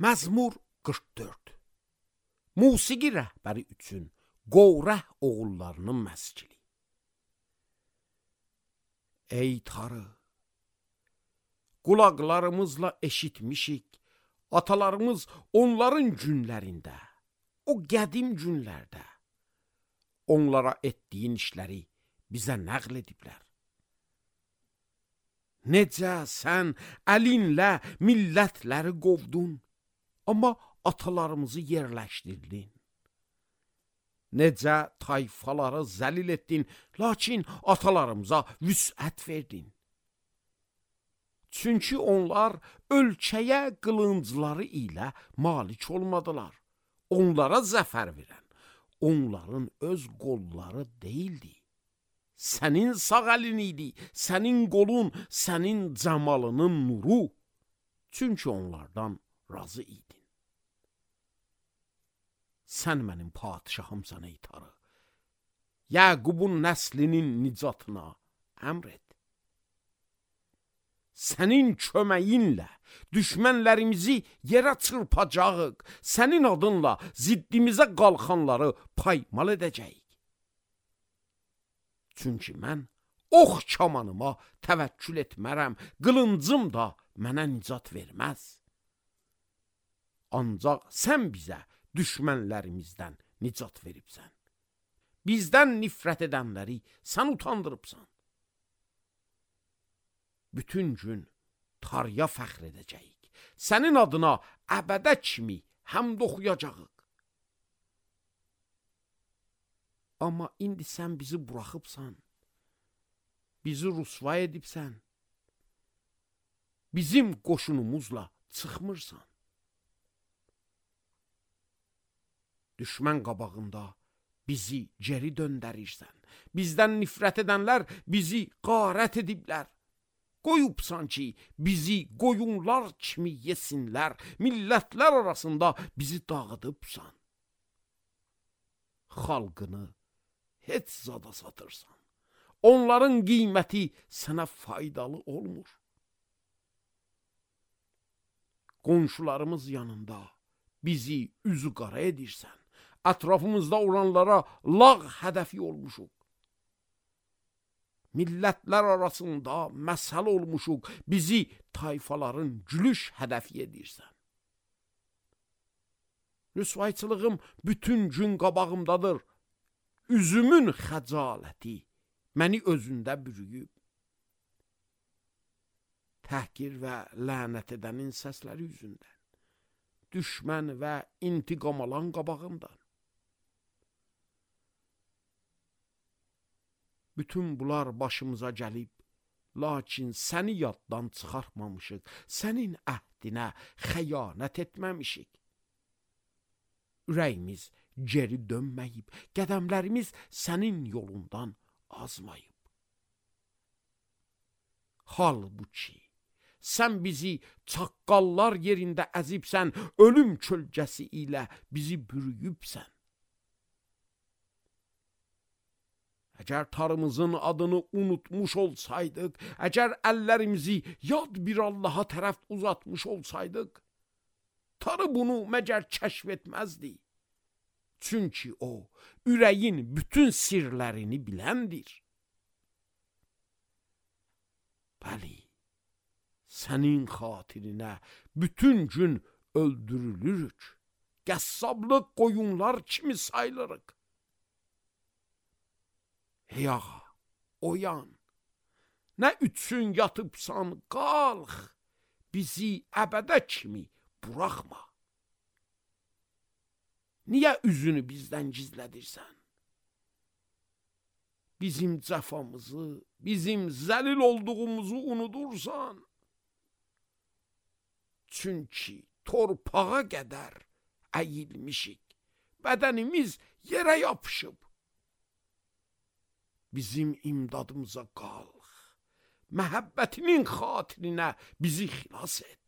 Məzmur 44. Musiqi rəhbəri üçün Qorah oğullarının məskili. Ey Tanrı, qulaqlarımızla eşitmişik, atalarımız onların günlərində, o qədim günlərdə onlara etdiyin işləri bizə nəql ediblər. Necə sən əlinlə millətləri qovdun, amma atalarımızı yerləşdirdin. Necə tayfaları zəlil etdin, lakin atalarımıza vüsət verdin. Çünki onlar ölkəyə qılıncları ilə malik olmadılar. Onlara zəfər verən, onların öz qolları deyildi. Sənin sağ əlin idi, sənin qolun, sənin cəmalının nuru. Çünki onlardan razı idin. Sən mənim padişahımsan ey Tanrı. Yaqubun nəslinin nicatına əmr et. Sənin köməyinlə düşmənlərimizi yerə çırpacağıq. Sənin adınla ziddimizə qalxanları paymal edəcəyik. Çünki mən ox kamanıma təvəkkül etmərəm, qılıncım da mənə nicat verməz. Ancaq sən bizə düşmənlərimizdən nicat veribsən. Bizdən nifrət edənləri sən utandırıbsan. Bütün gün Tanrıya fəxr edəcəyik. Sənin adına əbədə kimi həmd oxuyacağıq. Amma indi sən bizi buraxıbsan. Bizi rüsva edibsən. Bizim qoşunumuzla çıxmırsan. Düşmən qabağında bizi geri döndərirsən. Bizdən nifrət edənlər bizi qarət ediblər. Qoyubsan ki, bizi qoyunlar kimi yesinlər. Millətlər arasında bizi dağıdıbsan. Xalqını heç zada satırsan. Onların qiyməti sənə faydalı olmur. Qonşularımız yanında bizi üzü qara edirsən. Ətrafımızda olanlara lağ hədəfi olmuşuq. Millətlər arasında məsəl olmuşuq. Bizi tayfaların gülüş hədəfi edirsən. Rüsvayçılığım bütün gün qabağımdadır. Üzümün xəcaləti məni özündə bürüyüb. Təhqir və lənət edənin səsləri yüzündən. Düşmən və intiqam alan qabağımdan. Bütün bunlar başımıza gəlib, lakin səni yaddan çıxartmamışıq, sənin əhdinə xəyanət etməmişik. Ürəyimiz geri dönməyib, qədəmlərimiz sənin yolundan azmayıb. Halbuki, sən bizi çaqqallar yerində əzibsən, ölüm kölgəsi ilə bizi bürüyübsən. Əgər Tanrımızın adını unutmuş olsaydıq, əgər əllərimizi yad bir Allaha tərəf uzatmış olsaydıq, Tanrı bunu məgər kəşf etməzdi. Çünki o, ürəyin bütün sirlərini biləndir. Bəli, sənin xatirinə bütün gün öldürülürük. Qəssablıq qoyunlar kimi sayılırıq. Ey ağa, oyan, nə üçün yatıbsan, qalx, bizi əbədə kimi buraxma. Niyə üzünü bizdən gizlədirsən? Bizim cəfamızı, bizim zəlil olduğumuzu unudursan. Çünki torpağa qədər əyilmişik, bədənimiz yerə yapışıb. Bizim imdadımıza qalx, məhəbbətinin xatirinə bizi xilas et.